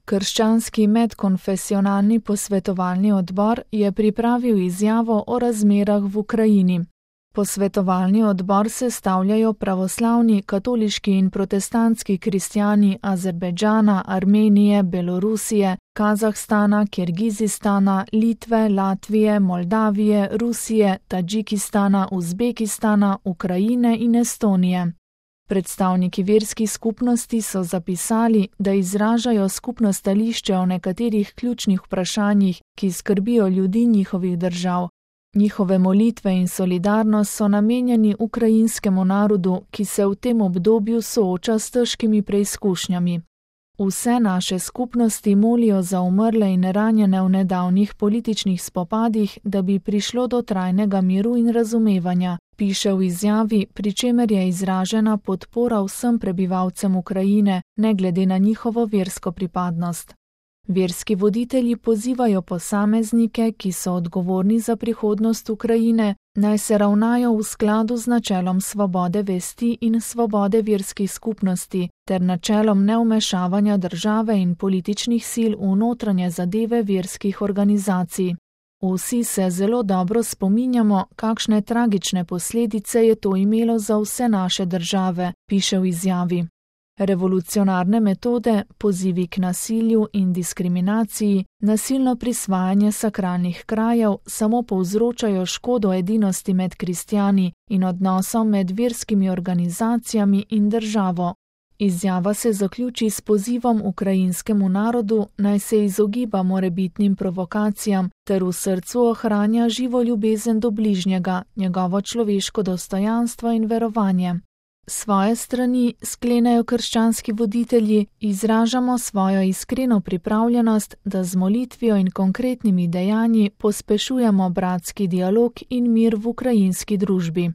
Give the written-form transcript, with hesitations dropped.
Krščanski medkonfesionalni posvetovalni odbor je pripravil izjavo o razmerah v Ukrajini. Posvetovalni odbor sestavljajo pravoslavni, katoliški in protestantski kristjani Azerbajdžana, Armenije, Belorusije, Kazahstana, Kirgizistana, Litve, Latvije, Moldavije, Rusije, Tadžikistana, Uzbekistana, Ukrajine in Estonije. Predstavniki verskih skupnosti so zapisali, da izražajo skupno stališče o nekaterih ključnih vprašanjih, ki skrbijo ljudi njihovih držav. Njihove molitve in solidarnost so namenjeni ukrajinskemu narodu, ki se v tem obdobju sooča s težkimi preizkušnjami. Vse naše skupnosti molijo za umrle in ranjene v nedavnih političnih spopadih, da bi prišlo do trajnega miru in razumevanja, piše v izjavi, pri čemer je izražena podpora vsem prebivalcem Ukrajine, ne glede na njihovo versko pripadnost. Verski voditelji pozivajo posameznike, ki so odgovorni za prihodnost Ukrajine, naj se ravnajo v skladu z načelom svobode vesti in svobode verskih skupnosti ter načelom nevmešavanja države in političnih sil v notranje zadeve verskih organizacij. Vsi se zelo dobro spominjamo, kakšne tragične posledice je to imelo za vse naše države, piše v izjavi. Revolucionarne metode, pozivi k nasilju in diskriminaciji, nasilno prisvajanje sakralnih krajev samo povzročajo škodo edinosti med kristjani in odnosom med verskimi organizacijami in državo. Izjava se zaključi s pozivom ukrajinskemu narodu, naj se izogiba morebitnim provokacijam ter v srcu ohranja živo ljubezen do bližnjega, njegovo človeško dostojanstvo in verovanje. Svoje strani, sklenejo krščanski voditelji, izražamo svojo iskreno pripravljenost, da z molitvijo in konkretnimi dejanji pospešujemo bratski dialog in mir v ukrajinski družbi.